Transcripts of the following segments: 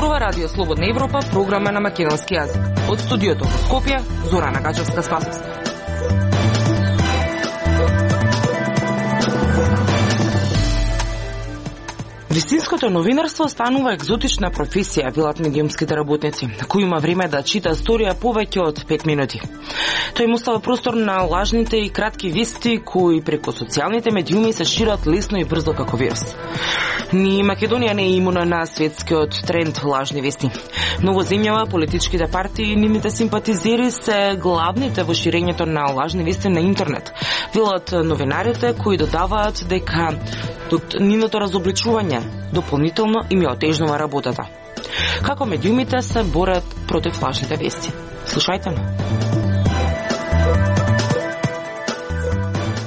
Зборува Радио Слободна Европа, програма на македонски јазик. Од студиото во Скопје, Зорана Гачевска-Спасовска. Вистинското новинарство станува екзотична професија, велат медиумските работници, кој има време да чита историја повеќе од 5 минути. Тој им остава простор на лажните и кратки вести кои преку социјалните медиуми се шират лесно и брзо како вирус. Ни Македонија не е имуна на светскиот тренд лажни вести. Но во земјава политичките партии и нивните симпатизери се главните во ширењето на лажни вести на интернет. Велат новинарите кои додаваат дека нивното разобличување дополнително им ја отежнува работата. Како медиумите се борат против лажните вести? Слушајте ме.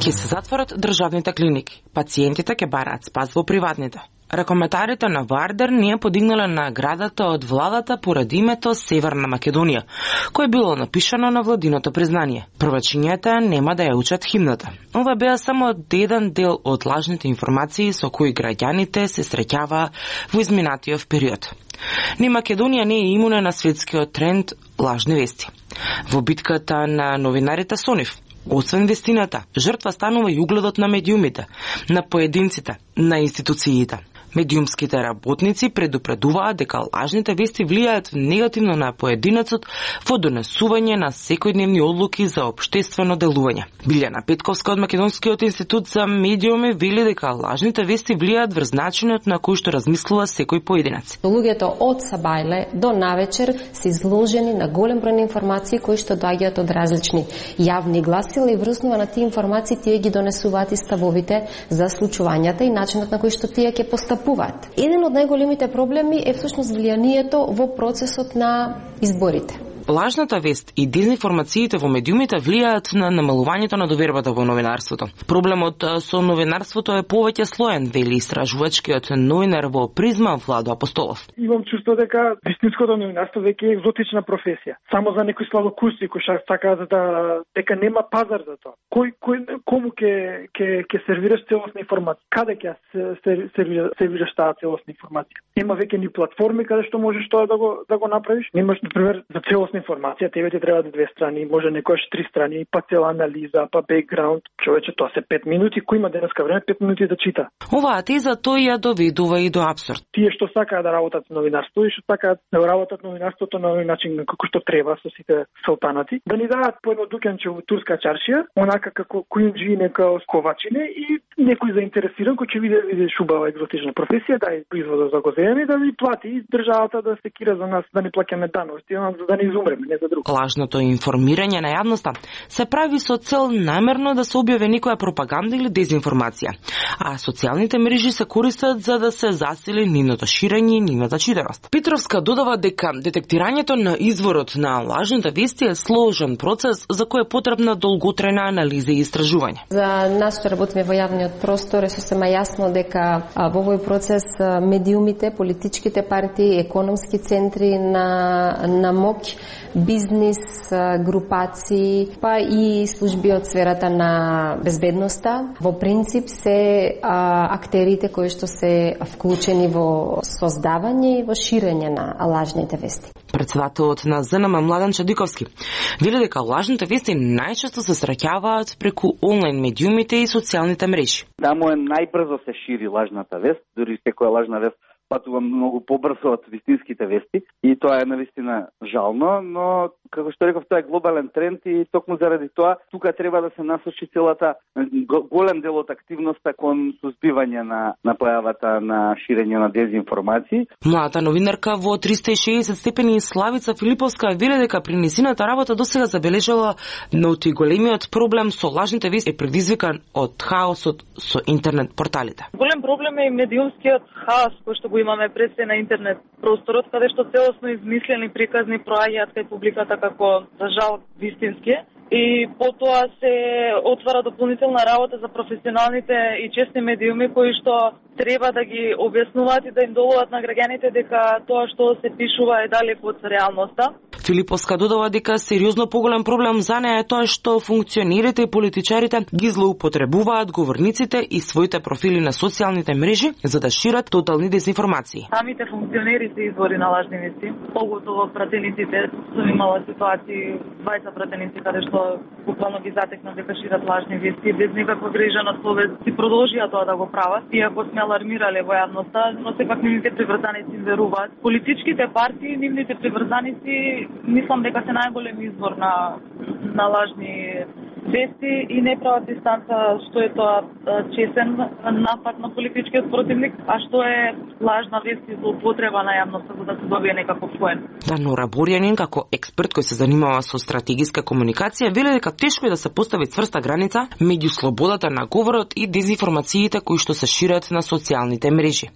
Ке се затворат државните клиники, пациентите ќе бараат спас во приватните. Рекоментарите на Вардер не ја подигнале наградата од владата поради името Северна Македонија, кој било напишано на владиното признание. Првачињата нема да ја учат химната. Ова беа само еден дел од лажните информации со кои граѓаните се среќаваа во изминатиот период. Ни Македонија не е имуна на светскиот тренд лажни вести. Во битката на новинарите со нив, освен вестината, жртва станува и угледот на медиумите, на поединците, на институциите. Медиумските работници предупредуваат дека лажните вести влијаат негативно на поединецот во донесување на секојдневни одлуки за општествено делување. Билјана Петковска од Македонскиот институт за медиуми вели дека лажните вести влијаат врз начинот на кој што размислува секој поединец. Луѓето од сабајле до навечер се изложени на голем број информации кои што доаѓаат од различни јавни гласила и врзнува на тие информации тие ги донесуваат и ставовите за случувањата и начинот на кој што тие ќе постапуваат. Еден од најголемите проблеми е всушност влијанието во процесот на изборите. Лажната вест и дезинформациите во медиумите влијаат на намалувањето на довербата во новинарството. Проблемот со новинарството е повеќе слоен, вели истражувачкиот новинар во Призма Владо Апостолов. Имам чувство дека вистинското новинарство веќе е екзотична професија. Само за некои славокуси кои сакаат дека нема пазар за тоа. Кому ќе сервираш целосна информација? Каде ќе сервираш таа целосна информација? Нема веќе ни платформи каде што можеш тоа да го направиш. Немаш, например, за целосна информација, тебе ти треба 2 страни, може некојаш 3 страни, па цела анализа, па бекграунд. Човече, тоа се 5 минути, кој има денеска време 5 минути да чита. Оваа теза тој ја доведува и до абсурд. Тие што сакаат да работат новинарство и што сакаат да работат новинарството на овој начин како што треба со сите султанати, да ни дадат по едно дуканче во турска чаршија, онака како куинџи, нека сковачине и некој заинтересиран кој ќе види шубава екзотична професија, да производа за го земе, да ни плати државата да се кира за нас, да ни плаќаме даноци, да ни не за друг. Лажното информирање на јавноста се прави со цел намерно да се објави некоја пропаганда или дезинформација, а социјалните мрежи се користат за да се засили нивното ширење и нивната читаност. Петровска додава дека детектирањето на изворот на лажните вести е сложен процес за кој е потребна долготрајна анализа и истражување. За нас што работиме во јавниот простор е сосема јасно дека во овој процес медиумите, политичките партии, економски центри на моќ, бизнис, групации, па и служби од сферата на безбедноста. Во принцип се актерите кои што се вклучени во создавање и во ширење на лажните вести. Председателот на ЗНМ Младен Чадиковски вели дека лажните вести најчесто се среќаваат преку онлайн медиумите и социјалните мрежи. Таму е најбрзо се шири лажната вест, дури секоја лажна вест патува многу побрзо од вистинските вести и тоа е навистина жално, но како што реков, тоа е глобален тренд и токму заради тоа тука треба да се насочи целата голем дел од активноста кон сузбивање на појавата на ширење на дезинформации. Младата новинарка во 360 степени Славица Филиповска вели дека при низината работа досега забележала ноти големиот проблем со лажните вести е предизвикан од хаосот со интернет порталите. Голем проблем е и медиумскиот хаос кој што го имаме пред се на интернет просторот, каде што целосно измислени приказни проаѓаат кај публиката како за жал вистински и потоа се отвара дополнителна работа за професионалните и честни медиуми кои што треба да ги објаснуваат и да им доловат на граѓаните дека тоа што се пишува е далеко од реалноста. Филиповска додава дека сериозно поголем проблем за неа е тоа што функционерите и политичарите ги злоупотребуваат говорниците и своите профили на социјалните мрежи за да шират тотални дезинформации. Самите функционери се извори на лажни вести, поготово пратениците. Сум имала ситуации, 20 пратеници каде што буквално ги затекнат дека шират лажни вести без никаква грижа на совест и продолжија тоа да го прават, иако сме алармирале во јавноста, но сепак нивните приврзаници им веруваат. Политичките партии, нивните приврзаници, мислам дека се најголем извор на лажни вести и не прават дистанца што е тоа чесен напад на политичкиот противник, а што е лажна вест и злоупотреба на јавноста за да се добие некаков поен. Нора Борјанин, како експерт кој се занимава со стратегиска комуникација, вели дека тешко е да се постави цврста граница меѓу слободата на говорот и дезинформациите кои што се шират на социјалните мрежи.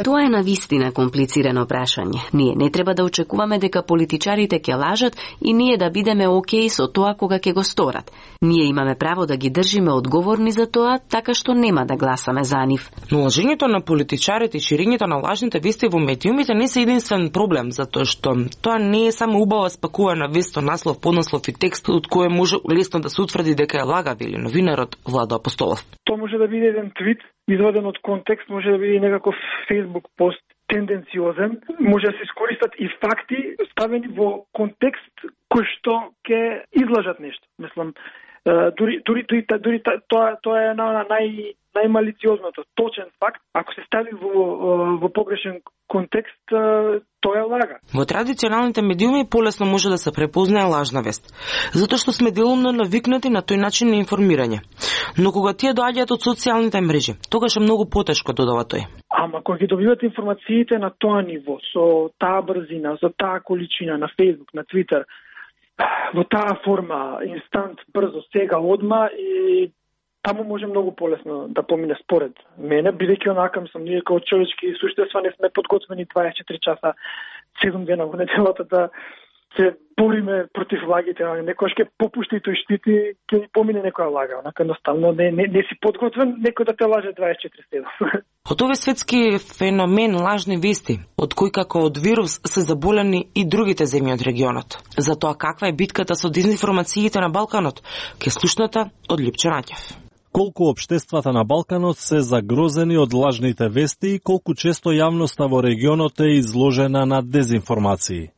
Тоа е навистина комплицирано прашање. Ние не треба да очекуваме дека политичарите ќе лажат и ние да бидеме окей со тоа кога ќе го сторат. Ние имаме право да ги држиме одговорни за тоа, така што нема да гласаме за нив. Но лажењето на политичарите и ширењето на лажните вести во медиумите не се единствен проблем, затоа што тоа не е само убава спакувана вест со наслов, поднаслов и текст од кој може лесно да се утврди дека е лага, вели новинарот Владо Апостолов. Тоа може да биде еден твит изваден од контекст, може да биде некаков Facebook пост тенденциозен, може да се искористат и факти ставени во контекст кој што ќе излажат нешто. Мислам, дури тоа е најмалициозното, точен факт, ако се стави во погрешен контекст, тоа е лага. Во традиционалните медиуми полесно може да се препознае лажна вест, затоа што сме делумно навикнати на тој начин на информирање. Но кога тие доаѓаат од социјалните мрежи, тогаш е многу потешко, додава тој. Ама кога ги добивате информациите на тоа ниво, со таа брзина, со таа количина на Facebook, на Twitter, во таа форма, инстант, брзо, сега, одма, и таму може многу полесно да помине според мене, бидејќи онака сум ние како човечки суштества не сме подготвени 24 часа, 7 дена во неделата да се бориме против лагите, некојаш ќе попушти и тој штити, ќе ни помине некоја лага, онака едноставно не си подготвен, некој да те лаже 24/7. Од овој светски феномен лажни вести, од кој како од вирус се заболени и другите земји од регионот. Затоа каква е битката со дезинформациите на Балканот, ке слушната од Липче Наќев. Колку општествата на Балканот се загрозени од лажните вести и колку често јавноста во регионот е изложена на дезинформации.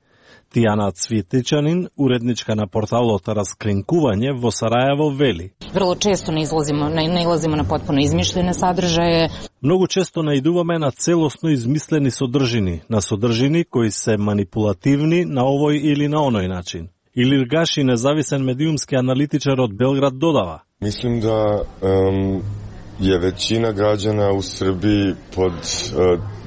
Тијана Цвитичанин, уредничка на порталот Расклинкување во Сарајево, вели. Vrlo često nailazimo na potpuno izmišljene sadržaje. Многу често наидуваме на целосно измислени содржини, на содржини кои се манипулативни на овој или на оној начин. Илир Гаши, независен медиумски аналитичар од Белград, додава. Мислим да je većina građana u Srbiji pod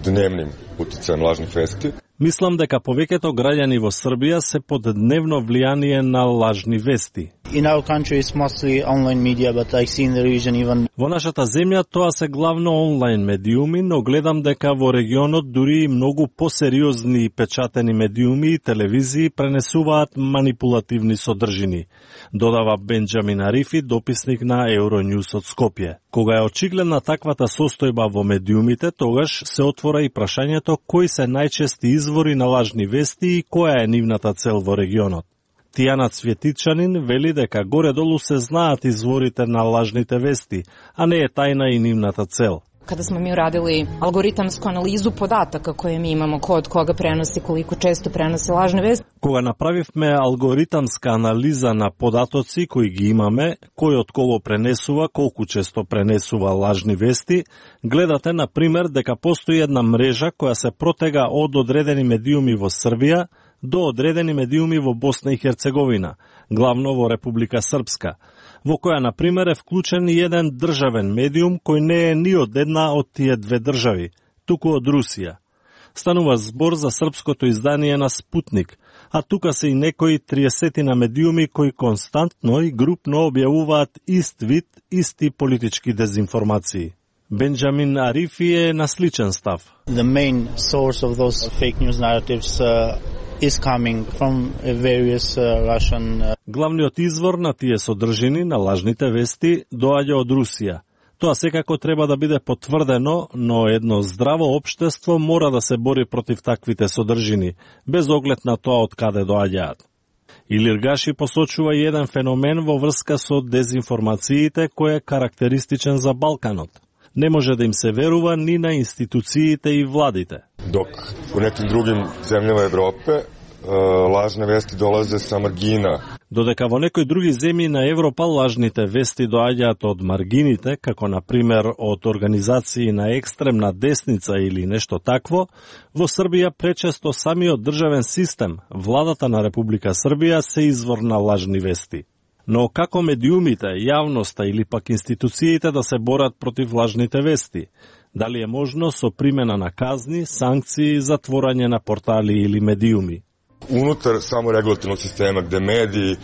dnevnim uticajem lažnih vesti. Мислам дека повеќето граѓани во Србија се под дневно влијание на лажни вести. In our country it's mostly online media, but I see in the region even. Во нашата земја тоа се главно онлайн медиуми, но гледам дека во регионот дури и многу посериозни печатени медиуми и телевизии пренесуваат манипулативни содржини, додава Бенџамин Арифи, дописник на Euronews од Скопје. Кога е очигледна таквата состојба во медиумите, тогаш се отвора и прашањето кои се најчести извори на лажни вести и која е нивната цел во регионот. Тијана Цветичанин вели дека горе-долу се знаат изворите на лажните вести, а не е тајна и нивната цел. Kada smo mi uradili algoritamsku analizu podataka koje mi imamo, ko od koga prenosi, koliko često prenosi lažne vesti. Кога направивме алгоритамска анализа на податоци кои ги имаме, кој од кого пренесува, колку често пренесува лажни вести, гледате на пример дека постои една мрежа која се протега од одредени медиуми во Србија до одредени медиуми во Босна и Херцеговина, главно во Република Српска, во која, на пример, е вклучен и еден државен медиум кој не е ни од една од тие две држави, туку од Русија. Станува збор за српското издание на Спутник, а тука се и некои 30 на медиуми кои константно и групно објавуваат ист вид, исти политички дезинформации. Бенџамин Арифи е на сличен став. The main source of those fake news narratives is coming from various Russian. Главниот извор на тие содржини на лажните вести доаѓа од Русија. Тоа секако треба да биде потврдено, но едно здраво општество мора да се бори против таквите содржини, без оглед на тоа од каде доаѓаат. Илир Гаши посочува и еден феномен во врска со дезинформациите кој е карактеристичен за Балканот. Не може да им се верува ни на институциите и владите. Док у неким другим земјава Европе лажни вести долазе са маргина. Додека во некои други земји на Европа лажните вести доаѓаат од маргините, како на пример од организации на екстремна десница или нешто такво, во Србија пречесто самиот државен систем, владата на Република Србија се извор на лажни вести. Но како медиумите, јавноста или пак институциите да се борат против лажните вести? Дали е можно со примена на казни, санкции, затворање на портали или медиуми? Unutar samo regulatornog sistema gde mediji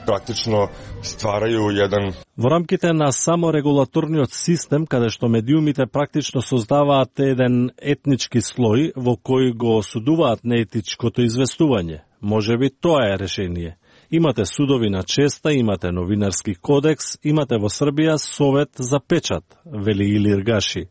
praktično stvaraju jedan... Во рамките на саморегулаторниот систем, каде што медиумите практично создаваат еден етнички слој во кој го осудуваат неетичкото известување. Можеби тоа е решение. Имате судови на честа, имате новинарски кодекс, имате во Србија совет за печат, вели Илир Гаши.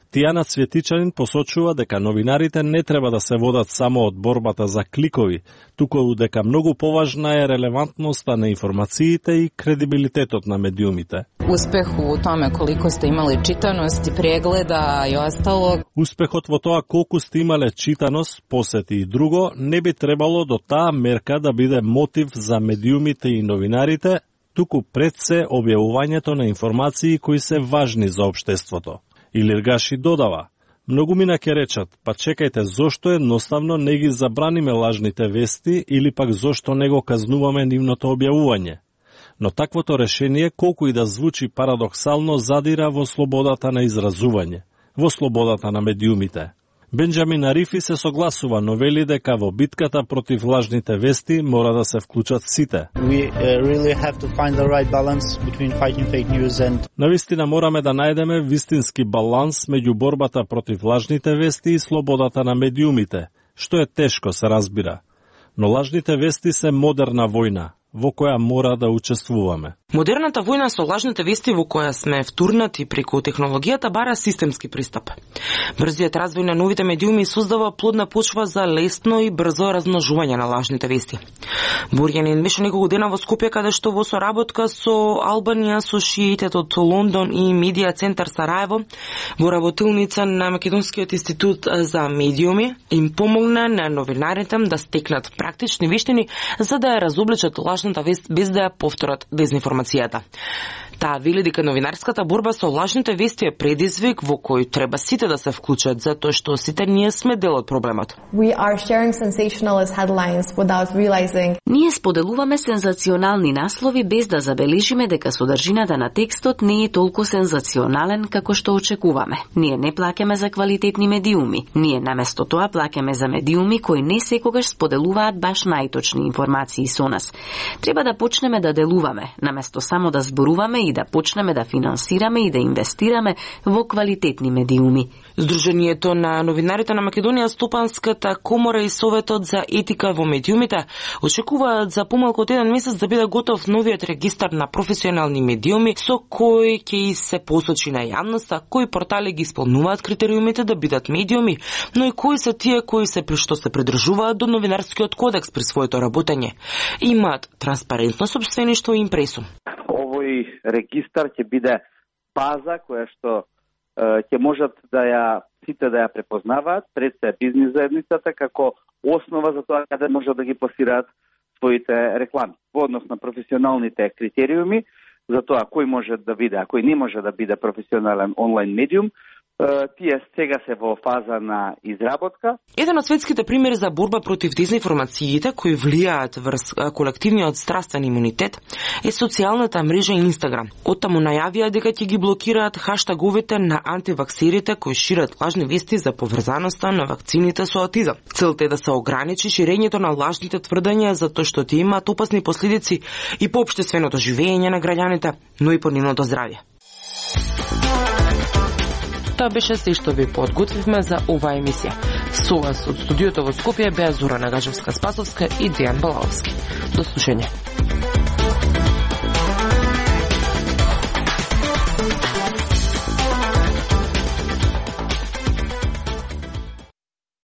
Тијана Цветичанин посочува дека новинарите не треба да се водат само од борбата за кликови, туку дека многу поважна е релевантноста на информациите и кредибилитетот на медиумите. Успех у томе колико сте имали читаност и прегледа и остало. Успехот во тоа колку сте имале читаност, посети и друго, не би требало до таа мерка да биде мотив за медиумите и новинарите, туку пред се објавувањето на информации кои се важни за општеството. Илир Гаши додава, многумина ќе речат, па чекајте, зошто едноставно не ги забраниме лажните вести или пак зошто не го казнуваме нивното објавување. Но таквото решение, колку и да звучи парадоксално, задира во слободата на изразување, во слободата на медиумите. Бенџамин Арифи се согласува, но вели дека во битката против лажните вести мора да се вклучат сите. Навистина мораме да најдеме вистински баланс меѓу борбата против лажните вести и слободата на медиумите, што е тешко се разбира. Но лажните вести се модерна војна, во која мора да учествуваме. Модерната војна со лажните вести во која сме втурнати преку технологијата бара системски пристап. Брзиот развој на новите медиуми создава плодна почва за лесно и брзо размножување на лажните вести. Борјанин беше неколку дена во Скопје, каде што во соработка со Албанија, Associated од Лондон и Медија центар Сараево, во работилница на Македонскиот институт за медиуми, им помогна на новинарите да стекнат практични вештини за да ја разобличат лажната вест без да ја повторат дезинформацијата. Таа вели дека новинарската борба со лажните вести е предизвик во кој треба сите да се вклучат, затоа што сите ние сме дел од проблемот. Ние споделуваме сензационални наслови без да забележиме дека содржината на текстот не е толку сензационален како што очекуваме. Ние не плаќаме за квалитетни медиуми. Ние наместо тоа плаќаме за медиуми кои не секогаш споделуваат баш најточни информации со нас. Треба да почнеме да делуваме, наместо само да зборуваме и да почнеме да финансираме и да инвестираме во квалитетни медиуми. Сдруженијето на новинарите на Македонија, Стопанската комора и Советот за етика во медиумите очекуваат за помалку од еден месец да биде готов новиот регистар на професионални медиуми со кој ќе се посочи на јавноста кои портали ги исполнуваат критериумите да бидат медиуми, но и кои се тие кои се што се придржуваат до новинарскиот кодекс при своето работење. Имаат транспарентно сопствеништво и импресум. Овој регистар ќе биде база која што ќе можат да ја сите да ја препознаваат пред се бизнис заедницата како основа за тоа каде можат да ги пласираат своите реклами. Во однос на професионалните критериуми за тоа кој може да биде, а кој не може да биде професионален онлайн медиум, тие сега се во фаза на изработка. Еден од светските примери за борба против дезинформациите кои влијаат врз колективниот здравствен имунитет е социјалната мрежа Инстаграм. Оттаму најавија дека ќе ги блокираат хаштаговите на антиваксерите кои шират лажни вести за поврзаноста на вакцините со аутизам. Целта е да се ограничи ширењето на лажните тврдења затоа што тие имаат опасни последици и по општественото живење на граѓаните, но и по нивното здравје. Тоа беше се што ви подготвивме за оваа емисија. Со вас од студиото во Скопје беа Зора Нагажевска-Спасовска и Дејан Балаловски. До слушање.